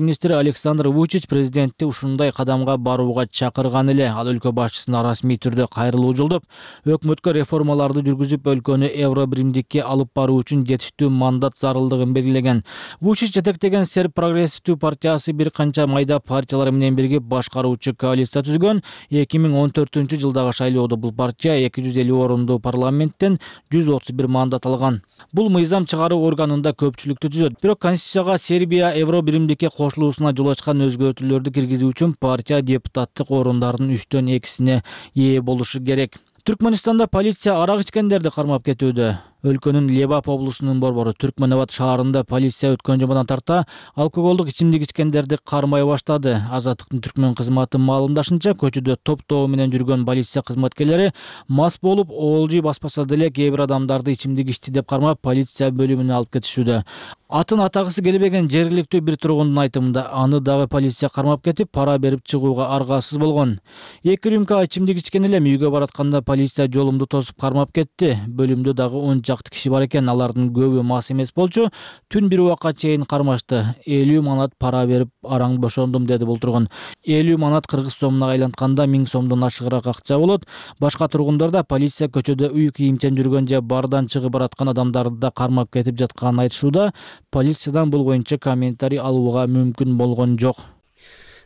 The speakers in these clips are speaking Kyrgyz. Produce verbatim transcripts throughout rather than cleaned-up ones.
министри Александр Вучич президентти ушундай кадамга барууга чакырган эле. Ал өлкө башчысына расмий түрдө кайрылуу жолдоп, өкмөткө реформаларды жүргүзүп, өлкөнү евро биримдикке алып баруу үчүн жетиштүү мандат зарылдыгын белгилеген. Вучич жетектеген Серб прогрессивдүү партиясы бир канча майда партиялар менен биригип башкаруучу коалиция түзгөн. эки миң он төртүнчү жылдагы шайлоодо бул партия эки жүз элүү орундуу парламенттен жүз отуз бир мандат алган. Бул мыйзам чыгаруу органында көпчүлүктү түзөт. Бирок Конституцияга Сербия евро биримдикке кошулуусуна жол ачкан өзгөртүүлөрдү киргизүү үчүн партия депутаттык орундардын үчтөн экисине ээ болушу керек. Түркмөнстанда полиция арак ичкендерди кармап кетүүдө. Өлкөнүн Лебап облусунун борбору Түркмөнабад шаарында полиция өткөн жумадан тарта алкоголдук ичимдик ичкендерди кармай баштады. Азаттыктын түркмөн кызматы маалымдашынча, көчөдө топтоо менен жүргөн полиция кызматкерлери мас болуп, оолжуй баспаса деле кээ бир адамдарды ичимдик ичти деп кармап, полиция бөлүмүнө алып кетишүүдө. Атын атагысы келбеген жергиликтүү бир тургундун айтымында, аны дагы полиция кармап кетип, пара берип чыгууга аргасыз болгон. Эки рюмка ичимдик ичкен элем үйгө баратканда полиция жолумду тосуп кармап кетти. Бөлүмдө дагы он жакты киши бар экен, алардын көбү мас эмес болчу. Түн бир убакка чейин кармашты. элүү манат пара берип араң бошондум, деди бул тургун. элүү манат кыргыз сомуна айлантканда миң сомдон ашыгыраак акча болот. Башка тургундар да полиция көчөдө үй кийимчен жүргөн же бардан чыгып бараткан адамдарды да кармап кетип жатканын айтышууда. Полициядан бул боюнча комментарий алууга мүмкүн болгон жок.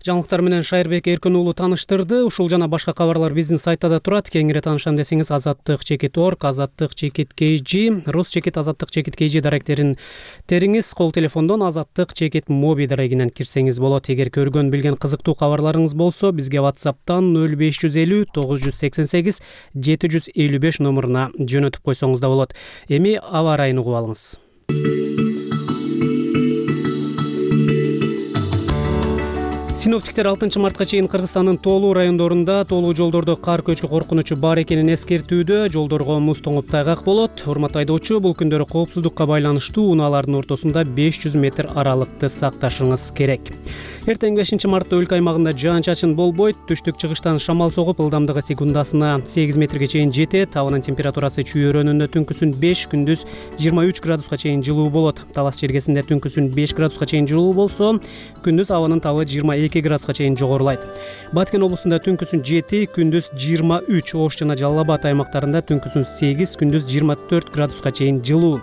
Жаңылыктар менен Шайырбек Эркин уулу тааныштырды. Ушул жана башка кабарлар биздин сайтта да турат. Кеңири таанышам десеңиз азаттык чекит точка орг, азаттык чекит кей жи, рус чекит азаттык чекит кей жи даректерин териңиз. Кол телефондон азаттык чекит моби дарегинен кирсеңиз болот. Эгер көргөн билген кызыктуу кабарларыңыз болсо, бизге WhatsApp'тан нөл беш жүз элүү тогуз жүз сексен сегиз жети жүз элүү беш номуруна жөнөтүп койсоңуз да болот. Эми аба ырайын угуп алыңыз. Синоптиктер алтынчы мартка чейин Кыргызстандын тоолуу райондорунда тоолуу жолдордо кар көчкү коркунучу бар экенин эскертүүдө. Жолдорго муз тоңуп тайгак болот. Урматтуу айдоочу, бул күндөрү коопсуздукка байланыштуу унаалардын ортосунда беш жүз метр аралыкты сакташыңыз керек. Эртең бешинчи мартта өлкө аймагында жаан-чачын болбойт. Түштүк чыгыштан шамал согуп, ылдамдыгы секундасына сегиз метрге чейин жетет. Абанын температурасы чүйөрөнүндө түнкүсүн беш, күндүз жыйырма үч градуска чейин жылуу болот. Талас жергесинде түнкүсүн беш градуска чейин жылуу болсо, күндүз абанын табы жыйырма эки градуска чейин жогорулайт. Баткен облусунда түнкүсүн жети, күндүз жыйырма үч, Ош жана Жалал Абад аймактарында түнкүсүн сегиз, күндүз жыйырма төрт градуска чейин жылуу.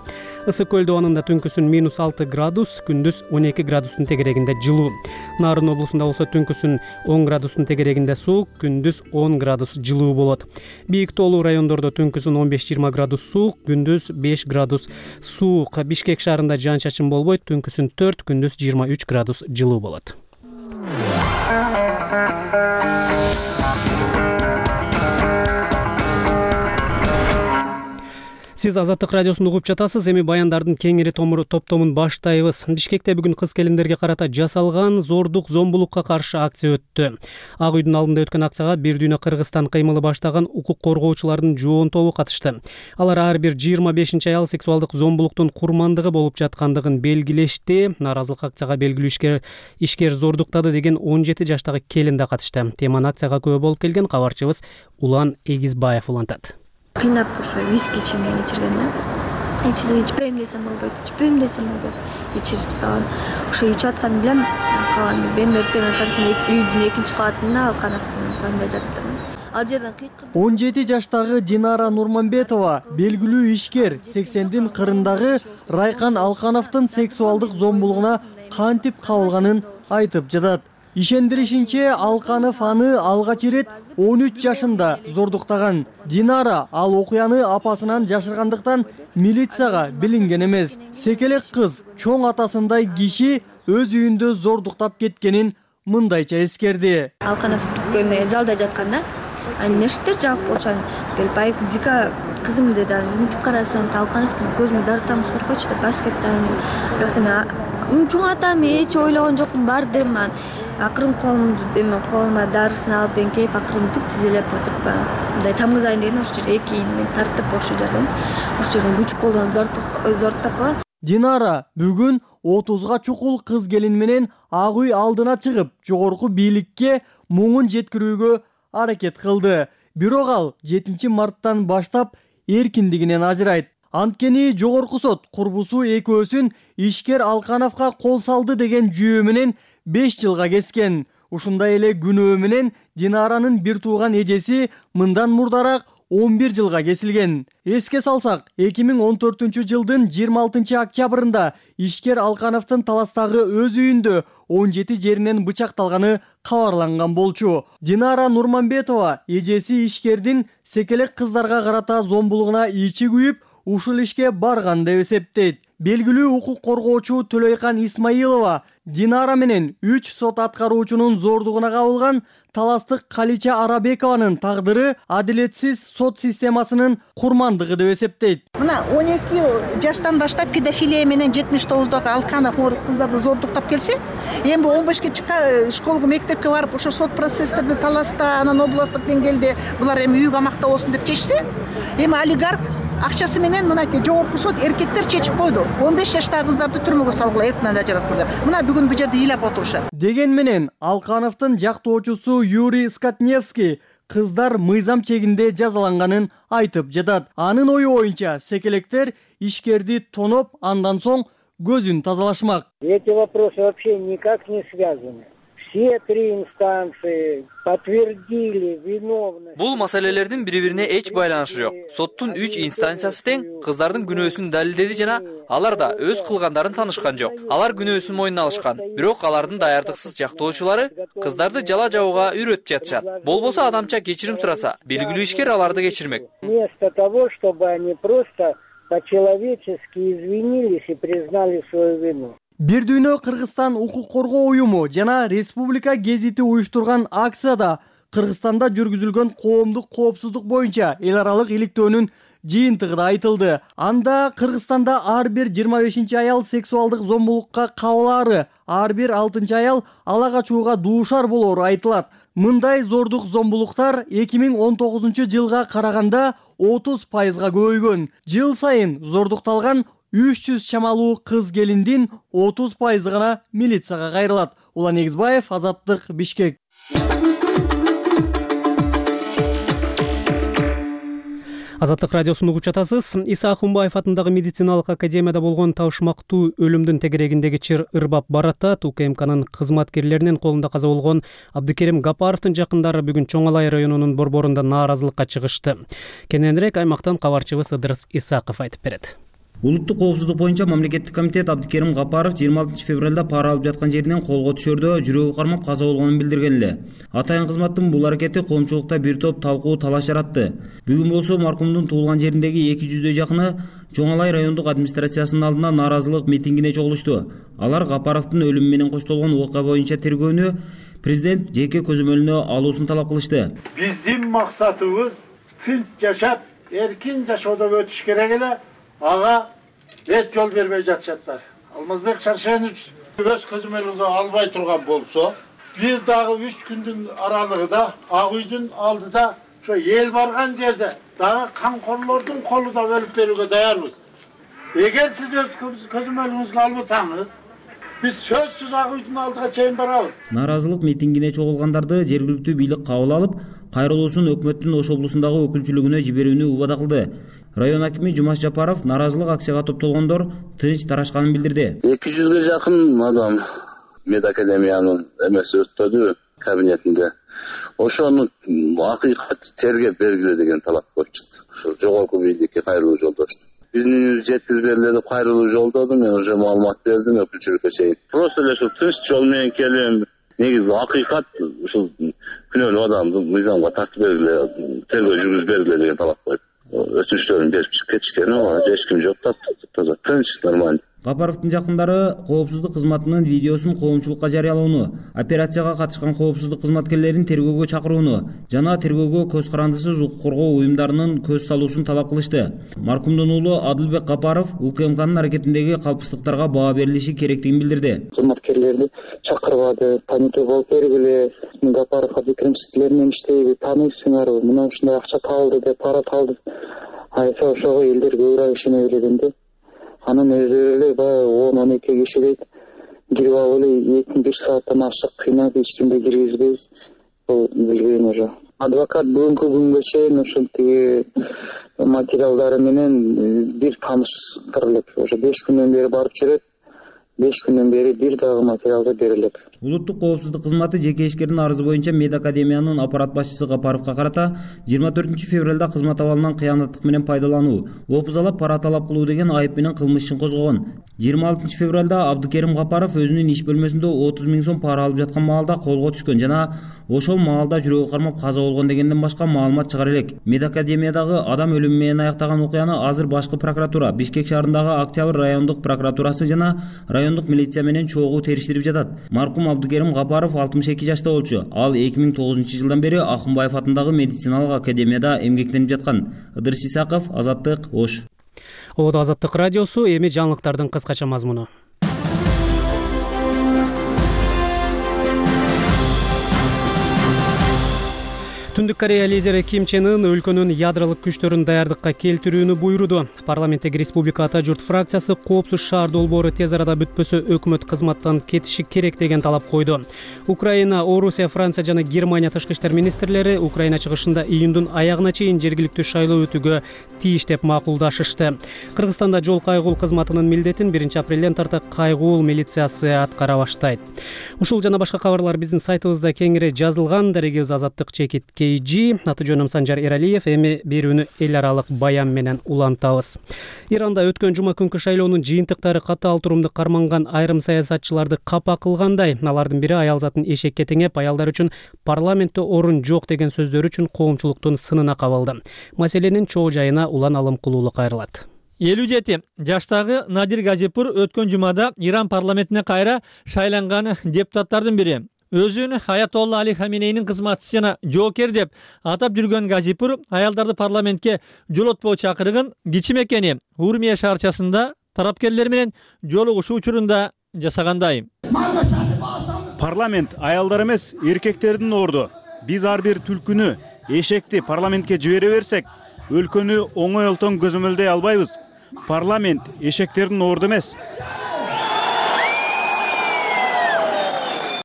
Ысык көл абанында түнкүсүн минус алты градус, күндүз он эки градустун тегерегинде жылуу. Нарын облусунда болсо түнкүсүн он градустун тегерегинде суук, күндүз он градус жылуу болот. Бийик тоолуу райондордо түнкүсүн он беш жыйырма градус суук, күндүз беш градус суук. Бишкек шаарында жаан-чачын болбойт, түнкүсүн төрт, күндүз жыйырма үч градус жылуу болот. Сиз Азаттык радиосун угуп жатасыз. Эми баяндардын кеңири топтомун баштайбыз. Бишкекте бүгүн кыз-келиндерге карата жасалган зордук, зомбулукка каршы акция өттү. Ак үйдүн алдында өткөн акцияга бир дүйнө Кыргызстан кыймылы баштаган укук коргоочулардын жоон тобу катышты. Алар ар бир жыйырма бешинчи аял сексуалдык зомбулуктун курмандыгы болуп жаткандыгын белгилешти. Наразылык акцияга белгилүү ишкер ишкер зордуктады деген он жети жаштагы келин да катышты. Теманы акцияга күбө болуп келген кабарчыбыз Улан Эгизбаев улантат. Кыйнап ошо виски ичимден ичирген да. Ичип ичпейм десем болбойт, ичпейм десем болбойт. Ичирип салган. Ошо ичип атканын билем, калган билбейм. Эртең карасында үйдүн экинчи кабатында алканавканда жаттым. Ал жерден кыйкырып. он жети жаштагы Динара Нурманбетова белгилүү ишкер сексендин кырындагы Райкан Алкановдун сексуалдык зомбулугуна кантип кабылганын айтып жатат. Ишендиришинче, Алканов аны алгач ирет он үч жашында зордуктаган. Динара ал окуяны апасынан жашыргандыктан милицияга билинген эмес. Секелек кыз чоң атасындай киши өз үйүндө зордуктап кеткенин мындайча эскерди. Алканов көймө залда жатканда, аны нештер жаап очан келип айк Зика кызым деди. Мынтип карасам, Алкановдун көзүмө дарытамыз бар койчу деп баскеттен. Бирок мен чоң атам эч ойлогон жокмун, бардым. Акырын колумду эме колума дарысын алып эңкейип, акырын түп тизелеп отуруп, мындай тамгызайын деген ошол жерге эки ийини тартып ошол жерден, ошол жерден күч колдон зордуктап калган. Динара бүгүн отузга чукул кыз келин менен Ак үй алдына чыгып, жогорку бийликке муңун жеткирүүгө аракет кылды. Бирок ал жетинчи марттан баштап эркиндигинен ажырайт. Анткени жогорку сот курбусу экөөсүн ишкер Алкановго кол салды деген жүйөө менен беш жылга кескен. Ушундай эле күнөө менен Динаранын бир тууган эжеси мындан мурдараак он бир жылга кесилген. Эске салсак, эки миң он төртүнчү жылдын жыйырма алтынчы октябрында ишкер Алкановдун Таластагы өз үйүндө он жети жеринен бычакталганы кабарланган болчу. Динара Нурманбетова эжеси ишкердин секелек кыздарга карата зомбулугуна ичи күйүп, ушул ишке барган деп эсептейт. Белгилүү укук коргоочу Төлөйкан Исмаилова Динара менен үч сот аткаруучунун зордугуна кабылган таластык Калича Арабекованын тагдыры адилетсиз сот системасынын курмандыгы деп эсептейт. Мына он эки жаштан баштап педофилия менен жетимиш тогуздагы Алканов кыздарды зордуктап келсе, эми он бешке чыкка школго, мектепке барып, ошо сот процесстерди Таласта, анан областтык деңгээлде булар эми үй камакта болсун деп чечсе, эми олигарх акчасы менен мынакей жогорку сот эркектер чечип койду. он беш жаштагы кыздарды түрмөгө салгыла, эртинен ажыраткыла. Мына бүгүн бу жерде ыйлап отурушат. Деген менен Алкановдун жактоочусу Юрий Скотневский кыздар мыйзам чегинде жазаланганын айтып жатат. Анын ою боюнча секелектер ишкерди тоноп, андан соң көзүн тазалашмак. Эти вопросы вообще никак не связаны. Все три инстанции подтвердили виновность. Бул маселелердин бири-бирине эч байланышы жок. Соттун үч инстанциясы тең кыздардын күнөөсүн далилдеди жана алар да өз кылгандарын таанышкан жок. Алар күнөөсүн мойнуна алышкан. Бирок алардын даярдыксыз жактоочулары кыздарды жала жабууга үйрөтүп жатышат. Болбосо адамча кечирим сураса, белгилүү ишкер аларды кечирмек. Вместо того, чтобы они просто по-человечески извинились и признали свою вину. Бир дүйнө Кыргызстан укук коргоо уюму жана Республика гезити уюштурган акцияда Кыргызстанда жүргүзүлгөн коомдук коопсуздук боюнча эл аралык иликтөөнүн жыйынтыгы да айтылды. Анда Кыргызстанда ар бир жыйырма бешинчи аял сексуалдык зомбулукка кабылаары, ар бир алтынчы аял ала качууга дуушар болоору айтылат. Мындай зордук зомбулуктар эки миң он тогузунчу жылга караганда отуз пайызга көбөйгөн. Жыл сайын зордукталган үч жүз чамалуу кыз келиндин отуз пайызы гана милицияга кайрылат. Улан Эгизбаев, Азаттык, Бишкек. Азаттык радиосун угуп жатасыз. Иса Ахунбаев атындагы медициналык академияда болгон табышмактуу өлүмдүн тегерегиндеги чыр ырбап баратат. УКМКнын кызматкерлеринин колунда каза болгон Абдыкерим Гапаровдун жакындары бүгүн Чоң Алай районунун борборунда нааразылыкка чыгышты. Кененирээк аймактан кабарчыбыз Ыдырыс Исаков айтып берет. Улуттук коопсуздук боюнча мамлекеттик комитет Абдыкерим Гапаров жыйырма алтынчы февралда пара алып жаткан жеринен колго түшөрдө жүрөгү кармап каза болгонун билдирген эле. Атайын кызматтын бул аракети коомчулукта бир топ талкуу талаш жаратты. Бүгүн болсо маркумдун туулган жериндеги эки жүздөй жакыны Чоң Алай райондук администрациясынын алдына нааразылык митингине чогулушту. Алар Гапаровдун өлүмү менен коштолгон окуя боюнча тергөөнү президент жеке көзөмөлүнө алуусун талап кылышты. Биздин максатыбыз тынч жашап, эркин жашоодо өтүш керек эле. Ага эт жол бербей жатышаттар. Алмазбек Чаршенович өз көзөмөлүнгө албай турган болсо, биз дагы үч күндүн аралыгында Ак үйдүн алдыда ошо эл барган жерде дагы камкорлордун колунда өлүп берүүгө даярбыз. Эгер сиз өз көзөмөлүңүзгө албасаңыз, биз сөзсүз Ак үйдүн алдыга чейин барабыз. Нааразылык митингине чогулгандарды жергиликтүү бийлик кабыл алып, кайрылуусун өкмөттүн Ош облусундагы өкүлчүлүгүнө жиберүүнү убада кылды. Район акими Жумаш Жапаров нааразылык акцияга топтолгондор тынч тарашканын билдирди. эки жүзгө жакын адам медакадемиянын эмеси өттү кабинетинде. Ошону акыйкат тергеп бергиле деген талап коюшту. Ошо жогорку бийликке кайрылуу жолдошту. Үнүңүз жеткирип бергиле деп кайрылуу жолдоду, мен уже маалымат бердим өкүлчүлүккө чейин. Просто эле ушул тынч жол менен келем. Негизи акыйкат ушул күнөөлүү адамды мыйзамга тартып бергиле, тергөө жүргүзүп бергиле деген талап коюп өтүнүчтөрүн берип чыгып кетишкен. Эч ким жок да, таза тынч, нормально. Гапаровдун жакындары коопсуздук кызматынын видеосун коомчулукка жарыялоону, операцияга катышкан коопсуздук кызматкерлерин тергөөгө чакырууну жана тергөөгө көз карандысыз укук коргоо уюмдарынын көз салуусун талап кылышты. Маркумдун уулу Адылбек Гапаров УКМКнын аракетиндеги калпыстыктарга баа берилиши керектигин билдирди. Кызматкерлерди чакырбады, танытуу болуп бергиле, Гапаров Абдыкерим сиздер менен иштейби, тааныйсыңарбы, мына ушундай акча табылды деп пара табылды. Айтса ошого элдер көбүрөөк ишене билгенде. Анын өздөрү эле баягы он он эки киши дейт. Кирип алып эле эки беш сааттан ашык кыйнап эч кимди киргизбей, бул билген уже. Адвокат бүгүнкү күнгө чейин ушул тиги материалдары менен бир таныштырылып, уже беш күндөн бери барып жүрөт. беш күндөн бери бир дагы материалды берилет. Улуттук коопсуздук кызматы жеке ишкердин арызы боюнча медакадемиянын аппарат башчысы Капаровго карата жыйырма төртүнчү февралда кызмат абалынан кыянаттык менен пайдалануу, опузалап пара талап кылуу деген айып менен кылмыш ишин козгогон. жыйырма алтынчы февралда Абдыкерим Капаров өзүнүн иш бөлмөсүндө отуз миң сом пара алып жаткан маалда колго түшкөн жана ошол маалда жүрөгү кармап каза болгон дегенден башка маалымат чыгар элек. Медакадемиядагы адам өлүмү менен аяктаган окуяны азыр башкы прокуратура, Бишкек шаарындагы Октябрь райондук прокуратурасы жана райондук милиция менен чогуу териштирип жатат. Маркум Абдыкерим Капаров алтымыш эки жашта болчу. Ал эки миң тогузунчу жылдан бери Акынбаев атындагы медициналык академияда эмгектенип жаткан. Ыдырыс Исаков, Азаттык, Ош. Ободо Азаттык радиосу, эми жаңылыктардын кыскача мазмуну. Түндүк Корея лидери Ким Чен Ын өлкөнүн ядролук күчтөрүн даярдыкка келтирүүнү буйруду. Парламенттеги Республика Ата журт фракциясы коопсуз шаар долбоору тез арада бүтпөсө өкмөт кызматтан кетиши керек деген талап койду. Украина, Орусия, Франция жана Германия тышкы иштер министрлери Украина чыгышында июндун аягына чейин жергиликтүү шайлоо өтүүгө тийиш деп макулдашышты. Кыргызстанда жол кайгуул кызматынын милдетин биринчи апрелден тарта кайгуул милициясы аткара баштайт. Ушул жана башка кабарлар биздин сайтыбызда кеңири жазылган. Дарегибиз Азаттык чекит кей жи. Аты жөнүм Санжар Эралиев. Эми берүүнү эл аралык баян менен улантабыз. Иранда өткөн жума күнкү шайлоонун жыйынтыктары катаал турумду карманган айрым саясатчыларды капа кылгандай. Алардын бири аял затын эшекке теңеп, аялдар үчүн парламентте орун жок деген сөздөр үчүн коомчулуктун сынына кабылды. Маселенин чоо жайына Улан Алымкулуулу кайрылат. элүү жети жаштагы Надир Газипур өткөн жумада Иран парламентине кайра шайланган депутаттардын бири. Өзүн Аятолла Али Хаменейнин кызматчысы жана жоокер деп атап жүргөн Газипур аялдарды парламентке жолотпоо чакырыгын кичи мекени Урмия шаарчасында тарапкерлер менен жолугушуу учурунда жасагандай. Парламент аялдар эмес, эркектердин орду. Биз ар бир түлкүнү, эшекти парламентке жибере берсек, өлкөнү оңой олтон көзөмөлдөй албайбыз. Парламент эшектердин орду эмес.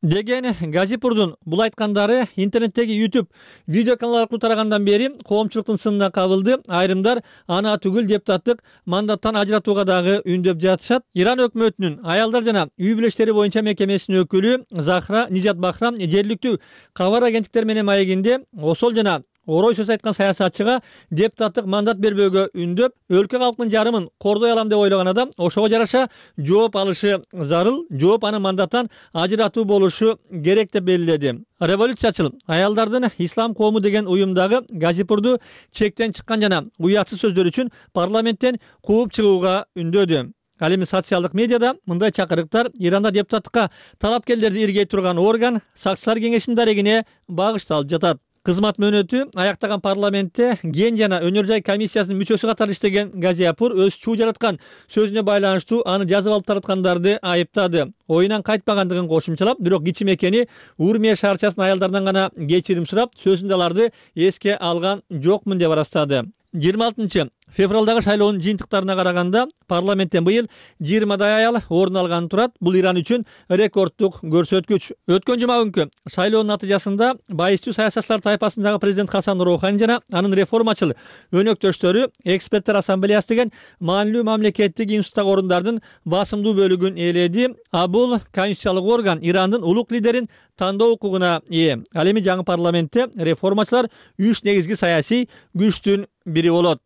Деген Газипурдун бул айткандары интернеттеги YouTube видео канал аркылуу тарагандан бери коомчулуктун сынына кабылды. Айрымдар аны түгүл депутаттык мандаттан ажыратууга дагы үндөп жатышат. Иран өкмөтүнүн аялдар жана үй бүлө боюнча мекемесинин өкүлү Захра Нижат Бахрам жергиликтүү кабар агенттиктер менен маегинде осол жана орой сөз айткан саясатчыга депутаттык мандат бербөөгө үндөп, өлкө калкынын жарымын кордой алам деп ойлогон адам ошого жараша жооп алышы зарыл, жооп анын мандаттан ажыратуу болушу керек деп белгиледи. Революциячыл аялдардын ислам коому деген уюмдагы Газипурду чектен чыккан жана уятсыз сөздөр үчүн парламенттен кууп чыгууга үндөдү. Ал эми социалдык медиада мындай чакырыктар Иранда депутаттыкка талапкерлерди иргей турган орган Сакчылар кеңешинин дарегине багышталып жатат. Кызмат мөөнөтү аяктаган парламентте ген жана өнөр жай комиссиясынын мүчөсү катары иштеген Газипур өз чуу жараткан сөзүнө байланыштуу аны жазып алып тараткандарды айыптады. Оюнан кайтпагандыгын кошумчалап, бирок кичи мекени Урмия шаарчасынын аялдарынан гана кечирим сурап, сөзүндө аларды эске алган жокмун деп арастады. жыйырма алтынчы февралдагы шайлоонун жыйынтыктарына караганда парламенттен быйыл жыйырмадай аял орун алганы турат. Бул Иран үчүн рекордтук көрсөткүч. Өткөн жума күнкү шайлоонун натыйжасында байыстуу саясатчылар тайпасындагы президент Хасан Роухани жана анын реформачыл өнөктөштөрү эксперттер ассамблеясы деген маанилүү мамлекеттик институттагы орундардын басымдуу бөлүгүн ээледи. А бул конституциялык орган Ирандын улук лидерин тандоо укугуна ээ. Ал эми жаңы парламентте реформачылар үч негизги саясий күчтүн бири болот.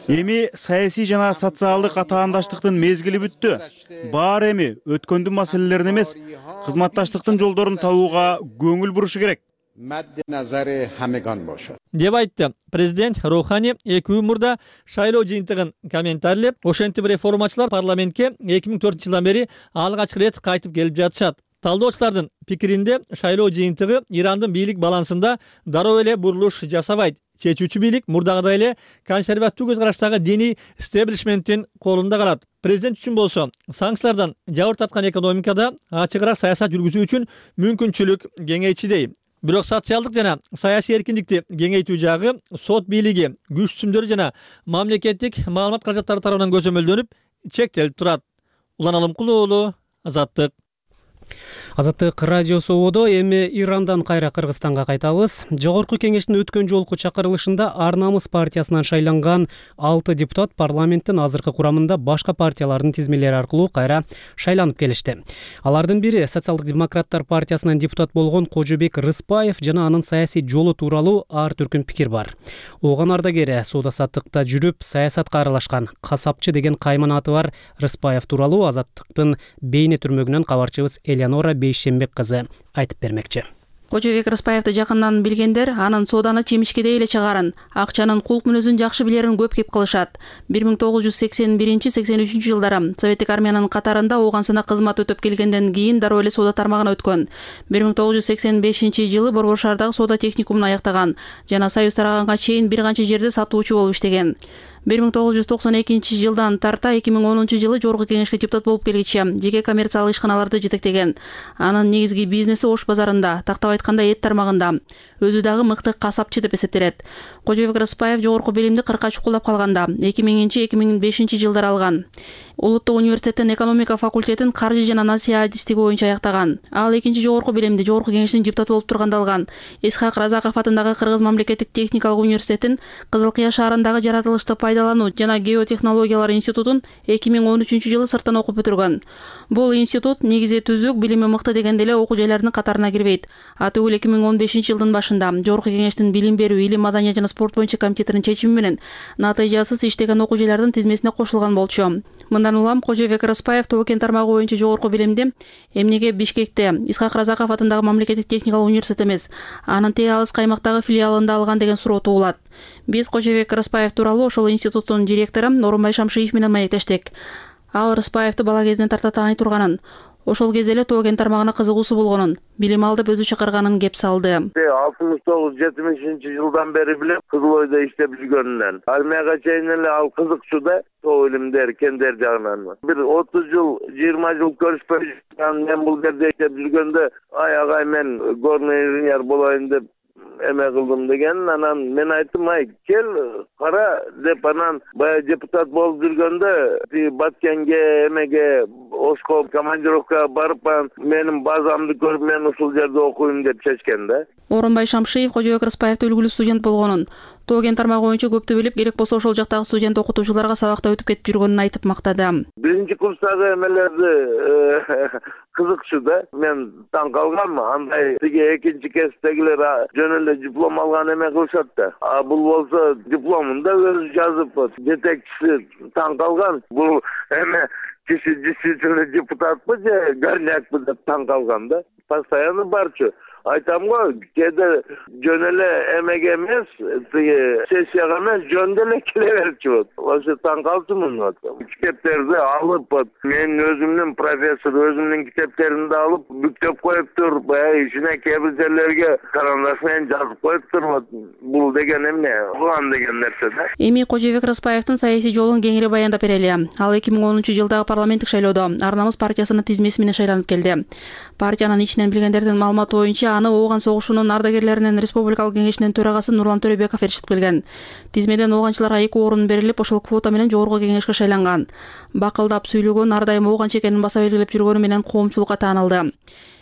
Эми саясий жана социалдык атаандаштыктын мезгили бүттү. Баары эми өткөндүн маселелерин эмес, кызматташтыктын жолдорун табууга көңүл бурушу керек деп айтты. Президент Роухани эки күн мурда шайлоо жыйынтыгын комментарийлеп, ошентип реформачылар парламентке эки миң төртүнчү жылдан бери алгач рет кайтып келип жатышат. Талдоочулардын пикиринде шайлоо жыйынтыгы Ирандын бийлик балансында дароо эле бурулуш жасабайт. Чечүүчү бийлик мурдагыдай эле консервативдүү көз караштагы диний стеблишменттин колунда калат. Президент үчүн болсо санкциялардан жабыр тарткан экономикада ачыгыраак саясат жүргүзүү үчүн мүмкүнчүлүк кеңейчүдей. Бирок социалдык жана саясий эркиндикти кеңейтүү жагы сот бийлиги, күч түзүмдөрү жана мамлекеттик маалымат каражаттары тарабынан көзөмөлдөнүп чектелип турат. Улан Алымкулуулу, Азаттык. Азаттык радиосу ободо эми Ирандан кайра Кыргызстанга кайтабыз. Жогорку кеңештин өткөн жолку чакырылышында Ар намыс партиясынан шайланган алты депутат парламенттин азыркы курамында башка партиялардын тизмелери аркылуу кайра шайланып келишти. Алардын бири Социалдык демократтар партиясынан депутат болгон Кожобек Рыспаев жана анын саясий жолу тууралуу ар түркүн пикир бар. Ооган ардагери соода саттыкта жүрүп саясатка аралашкан касапчы деген кайман аты бар Рыспаев тууралуу Азаттыктын бейне түрмөгүнөн кабарчыбыз Элеонора Бейшембек кызы айтып бермекчи. Кожобек Рыспаевди жакындан билгендер анын сооданы чемишкедей эле чыгарын, акчанын кулк мүнөзүн жакшы билерин көп кеп кылышат. бир миң тогуз жүз сексен биринчи — сексен үчүнчү жылдары Советтик армиянын катарында оогансына кызмат өтөп келгенден кийин дароо эле соода тармагына өткөн. бир миң тогуз жүз сексен бешинчи жылы Борбор шаардагы соода техникумун аяктаган жана Союз тараганга чейин бир канча жерде сатуучу болуп иштеген. бир миң тогуз жүз токсон экинчи жылдан тарта эки миң онунчу жылы Жогорку кеңешке депутат болуп келгиче жеке коммерциялык ишканаларды жетектеген. Анын негизги бизнеси Ош базарында, тактап айтканда эт тармагында. Өзү дагы мыкты касапчы деп эсептелет. Кожобек Рыспаев жогорку билимди кыркка чукулдап калганда эки миңинчи — эки миң бешинчи жылдары алган. Улуттук университеттин экономика факультетин каржы жана насыя адистиги боюнча аяктаган. Ал экинчи жогорку билимди Жогорку кеңештин депутаты болуп турганда алган. Исхак Разаков атындагы Кыргыз мамлекеттик техникалык университетин, Кызыл Кыя шаарындагы жаратылышты пайдалануу жана геотехнологиялар институтун эки миң он үчүнчү жылы сырттан окуп бүтүргөн. Бул институт негизи түзүк, билими мыкты дегенде эле окуу жайлардын катарына кирбейт. Атүгүл эки миң он бешинчи жылдын башында Жогорку кеңештин билим берүү, илим, маданият жана спорт боюнча комитетинин чечими менен натыйжасыз иштеген окуу жайлардын тизмесине кошулган болчу. Мындан улам Кожобек Рыспаев Тоо-Кен тармагы боюнча жогорку билимди эмнеге Бишкекте Исхак Разаков атындагы мамлекеттик техникалык университет эмес, анын тээ алыс каймактагы филиалында алган деген суроо туулат. Биз Кожобек Рыспаев тууралуу ошол институттун директору Орунбай Шамшиев менен маектештик. Ал Рыспаевди бала кезинен тарта тааный турганын, ошол кезде эле Тоо-Кен тармагына кызыгуусу болгонун, билим алдып өзү чакырганын кеп салды. алтымыш тогуз — жетимишинчи жылдан бери билем, Кызыл Ойдо иштеп жүргөнүнөн. Армияга чейин эле ал кызыкчу да, тоо илимдер, кендер жагынан. Бир отуз жыл, жыйырма жыл көрүшпөй жүргөн мен бул жерде иштеп жүргөндө, ай агай мен горный инженер болоюн деп эме кылдым деген. Анан мен айттым, ай кел кара деп, анан баягы депутат болуп жүргөндө Баткенге, эмеге, Ошко командировкага барып, менин базамды көрүп, мен ушул жерде окуйм деп чечкен да. Орунбай Шамшиев Кожобек Рыспаевди үлгүлүү студент болгонун, Тоо-Кен тармагы боюнча көптү билип, керек болсо ошол жактагы студент окутуучуларга сабакта өтүп кетип жүргөнүн айтып мактады. Биринчи курстагы эмелерди кызыкчу да, мен таң калгам. Андай тиги экинчи кесиптегилер жөн эле диплом алган эме кылышат да. А бул болсо дипломун да өзү жазып, жетекчиси таң калган. Бул эме киши действительно депутатпы же горнякпы деп таң калган да. Постоянно барчу. Айтам го, кээде жөн эле эмеге эмес, тиги сессияга эмес, жөн эле келе берчү. Ошо таң калчумун. Китептерди алып, мен өзүмдүн профессор өзүмдүн китептеримди алып, бүктөп коюптур, баягы ичине кээ бир жерлерге карандаш менен жазып коюптур. Бул деген эмне? Улан деген нерсе да. Эми Кожобек Рыспаевдин саясий жолун кеңири баяндап берели. Ал эки миң онунчу жылдагы парламенттик шайлоодо Ар намыс партиясынын тизмеси менен шайланып келди. Партиянын ичинен билгендердин маалыматы боюнча аны Ооган согушунун ардагерлеринин республикалык кеңешинин төрагасы Нурлан Төрөбеков эршитип келген. Тизмеден оогончуларга эки орун берилип, ошол квота менен жогорку кеңешке шайланган. Бакылдап сүйлөгөн, ар дайым оогончу экенин баса белгилеп жүргөнү менен коомчулукка таанылды.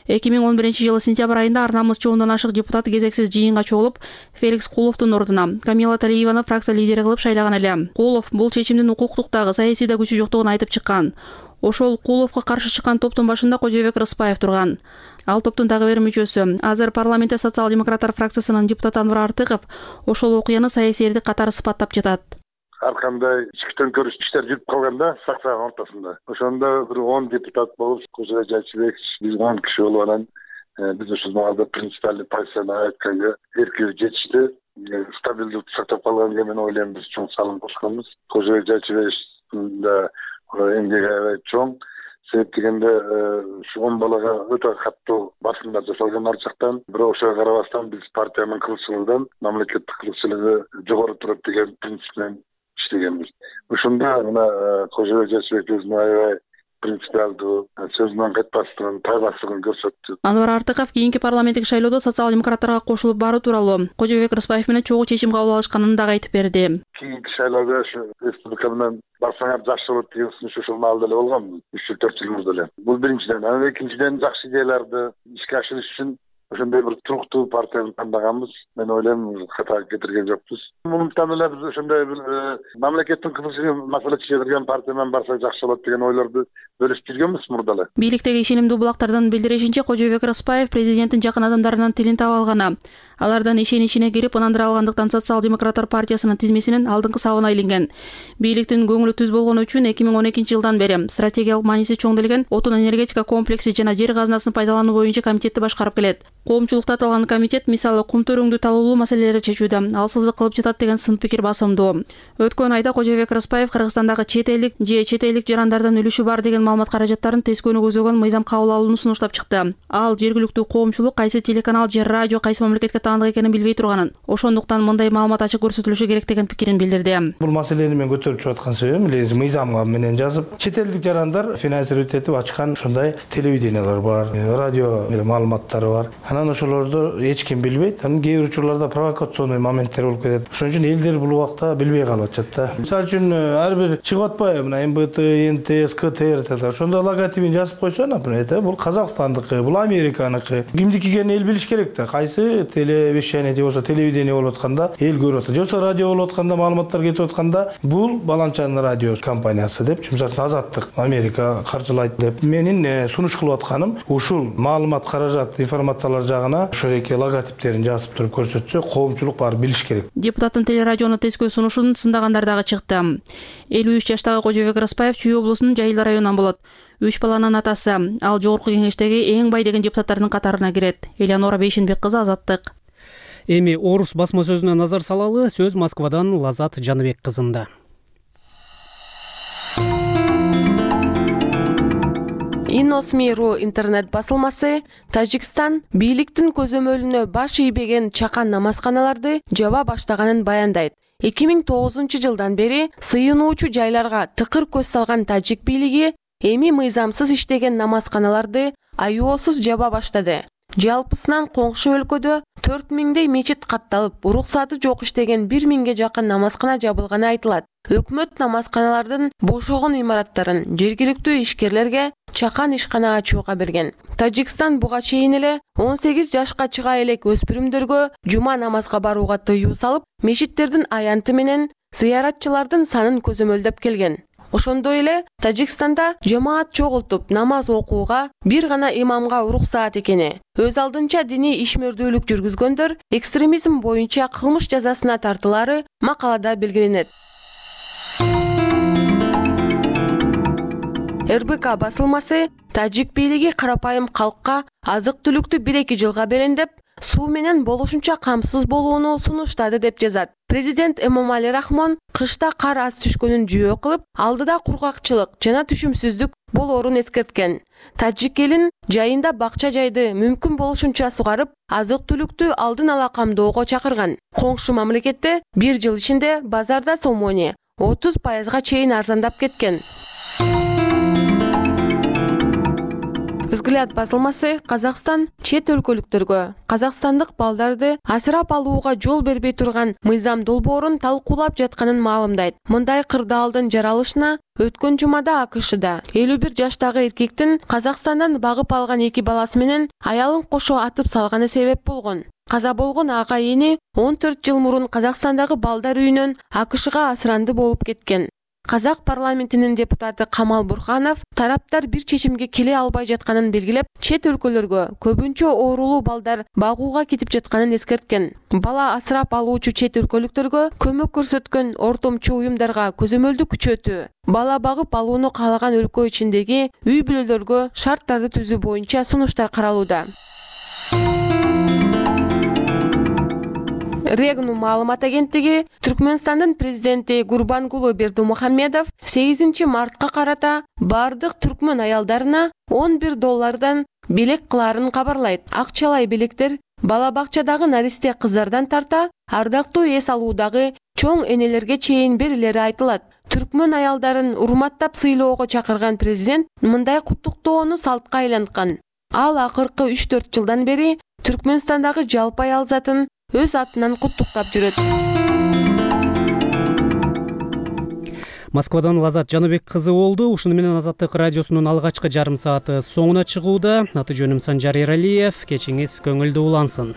эки миң он биринчи жылы сентябрь айында Ар намыс чоондан ашык депутат кезексиз жыйынга чогулуп, Феликс Куловдун ордуна Камила Талиеваны фракция лидери кылып шайлаган эле. Кулов бул чечимдин укуктук дагы саясий да күчү жоктугун айтып чыккан. Ошол Куловго каршы чыккан топтун башында Кожобек Рыспаев турган. Ал топтун дагы бир мүчөсү, азыр парламентте социал-демократтар фракциясынын депутаты Анвар Артыков ошол окуяны саясийдик катары сыпаттап жатат. Ар кандай ички төңкөрүш иштер жүрүп калганда фракциянын ортосунда. Ошондо бир он депутат болуп, Кожобек Жайчыбек, биз он киши болуп анан биз ушул маалда принципиальный позицияны айтканга эркиүү жетишти. Стабилдүүлүктү сактап калганга мен ойлойм биз чоң салым кошконбуз. Кожобек Жайчыбек да эмгеги аябай чоң. Себеп дегенде ушу он балага өтө каттуу басымдар жасалган ар жактан. Бирок ошого карабастан биз партиянын кызыкчылыгынан мамлекеттик кызыкчылыгы жогору турат деген принцип менен иштегенбиз. Ушунда мына Кожобек Жайчыбек өзүнүн аябай принципиалдуу, сөзүнөн кайтпастыгын, тайбастыгын көрсөттү. Анвар Артыков кийинки парламенттик шайлоодо социал-демократтарга кошулуп баруу тууралуу Кожобек Рыспаев менен чогуу чечим кабыл алышканын дагы айтып берди. Кийинки шайлоодо ушу республика менен барсаңар жакшы болот деген сунуш ошол маалда эле болгон, үч жыл төрт жыл мурда эле. Бул биринчиден. Анан экинчиден жакшы идеяларды ишке ашырыш үчүн ошондой бир туруктуу партияны тандаганбыз. Мен ойлойм, хата кетирген жокпуз. Мынтан эле биз ошондой бир мамлекеттин кызыкчылыгын маселе чечилген партия менен барсак жакшы болот деген ойлорду бөлүшүп жүргөнбүз мурда эле. Бийликтеги ишенимдүү булактардын билдиришинче, Кожобек Рыспаев президенттин жакын адамдарынын тилин таба алганы, алардын ишеничине кирип ынандыра алгандыктан социал-демократтар партиясынын тизмесинин алдыңкы сабына айланган. Бийликтин көңүлү түз болгону үчүн эки миң он экинчи жылдан бери стратегиялык мааниси чоң делген отун энергетика комплекси жана жер казынасын пайдалануу боюнча комитетти башкарып келет. Коомчулукта аталган комитет мисалы кум төрөңдү талуулуу маселелерди чечүүдө алсыздык кылып жатат деген сын пикир басымдуу. Өткөн айда Кожобек Рыспаев Кыргызстандагы чет элдик же чет элдик жарандардын үлүшү бар деген маалымат каражаттарын тескөөнү көзөгөн мыйзам кабыл алууну сунуштап чыкты. Ал жергиликтүү коомчулук кайсы телеканал же радио кайсы мамлекетке таандык экенин билбей турганын, ошондуктан мындай маалымат ачык көрсөтүлүшү керек деген пикирин билдирди. Бул маселени мен көтөрүп чыгып аткан себебим эле мыйзамга менен жазып, чет элдик жарандар финансировать этип ачкан ушундай телевидениялар бар, радио маалыматтары бар. Анан ошолорду эч ким билбейт. Анан кээ бир учурларда провокационный моменттер болуп кетет. Ошон үчүн элдер бул убакта билбей калып атышат да. Мисалы үчүн ар бир чыгып атпайбы, мына эм бэ тэ, эн тэ эс, ка тэ эр да. Ошондо логотипин жазып койсо, например, бул Казакстандыкы, бул Американыкы. Кимдики экенин эл билиш керек да. Кайсы телевещание же болсо телевидение болуп атканда эл көрүп атат. Же болсо радио болуп атканда, маалыматтар кетип атканда бул баланчанын радио компаниясы деп, мисалы Азаттык, Америка каржылайт деп. Менин сунуш кылып атканым ушул маалымат, каражат, информациялар жагына ошореки логотиптерин жазып туруп көрсөтсө, коомчулук баары билиш керек. Депутаттын телерадиону тескөө сунушун сындагандар дагы чыкты. элүү үч жаштагы Кожобек Рыспаев Чүй облусунун Жайыл районунан болот. Үч баланын атасы. Ал жогорку кеңештеги эң бай деген депутаттардын катарына кирет. Элеонора Бейшенбек кызы, Азаттык. Эми Орус басма сөзүнө назар салалы. Сөз Москвадан Лазат Жаныбек кызында. Иносми.ру интернет басылмасы Тажикстан бийликтин көзөмөлүнө баш ийбеген чакан намазканаларды жаба баштаганын баяндайт. эки миң тогузунчу жылдан бери сыйынуучу жайларга тыкыр көз салган тажик бийлиги эми мыйзамсыз иштеген намазканаларды аюусуз жаба баштады. Жалпысынан коңшу өлкөдө төрт миңдей мечит катталып, уруксаты жок иштеген бир миңге жакын намазкана жабылганы айтылат. Өкмөт намазканалардын бошогон имараттарын жергиликтүү ишкерлерге чакан ишкана ачууга берген. Тажикстан буга чейин эле он сегиз жашка чыга элек өспүрүмдөргө жума намазга барууга тыюу салып, мечиттердин аянты менен зыяратчылардын санын көзөмөлдөп келген. Ошондой эле Тажикстанда жамаат чогултуп намаз окууга бир гана имамга уруксаат экени, өз алдынча диний ишмердүүлүк жүргүзгөндөр экстремизм боюнча кылмыш жазасына тартылары макалада белгиленет. эр бэ ка басылмасы тажик бийлиги карапайым калкка азык-түлүктү бир эки жылга белендеп, суу менен болушунча камсыз болууну сунуштады деп жазат. Президент Эмомали Рахмон кышта кар аз түшкөнүн жүйө кылып, алдыда кургакчылык жана түшүмсүздүк болоорун эскерткен. Тажик элин жайында бакча жайды мүмкүн болушунча сугарып, азык-түлүктү алдын ала камдоого чакырган. Коңшу мамлекетте бир жыл ичинде базарда сомони отуз пайызга чейин арзандап кеткен. Взгляд басылмасы Казакстан чет өлкөлүктөргө казакстандык балдарды асырап алууга жол бербей турган мыйзам долбоорун талкуулап жатканын маалымдайт. Мындай кырдаалдын жаралышына өткөн жумада а ка шда элүү бир жаштагы эркектин Казакстандан багып алган эки баласы менен аялын кошо атып салганы себеп болгон. Каза болгон ага эни он төрт жыл мурун Казакстандагы балдар үйүнөн а ка шга асыранды болуп кеткен. Казак парламентинин депутаты Камал Бурханов тараптар бир чечимге келе албай жатканын белгилеп, чет өлкөлөргө көбүнчө оорулуу балдар багууга кетип жатканын эскерткен. Бала асырап алуучу чет өлкөлүктөргө көмөк көрсөткөн ортомчу уюмдарга көзөмөлдү күчөтүү, бала багып алууну каалаган өлкө ичиндеги үй бүлөлөргө шарттарды түзүү боюнча сунуштар каралууда. Регну маалымат агенттиги Түркмөнстандын президенти Гурбангулы Бердымухамедов сегизинчи мартка карата бардык түркмөн аялдарына он бир доллардан белек кылаарын кабарлайт. Акчалай белектер бала бакчадагы наристе кыздардан тарта ардактуу эс алуудагы чоң энелерге чейин берилери айтылат. Түркмөн аялдарын урматтап сыйлоого чакырган президент мындай куттуктоону салтка айланткан. Ал акыркы үч төрт жылдан бери Түркмөнстандагы жалпы аял затын өз атынан куттуктап жүрөт. Москвадан Лазат Жаныбек кызы болду. Ушуну менен Азаттык радиосунун алгачкы жарым сааты соңуна чыгууда. Аты жөнүм Санжар Эралиев. Кечиңиз көңүлдүү улансын.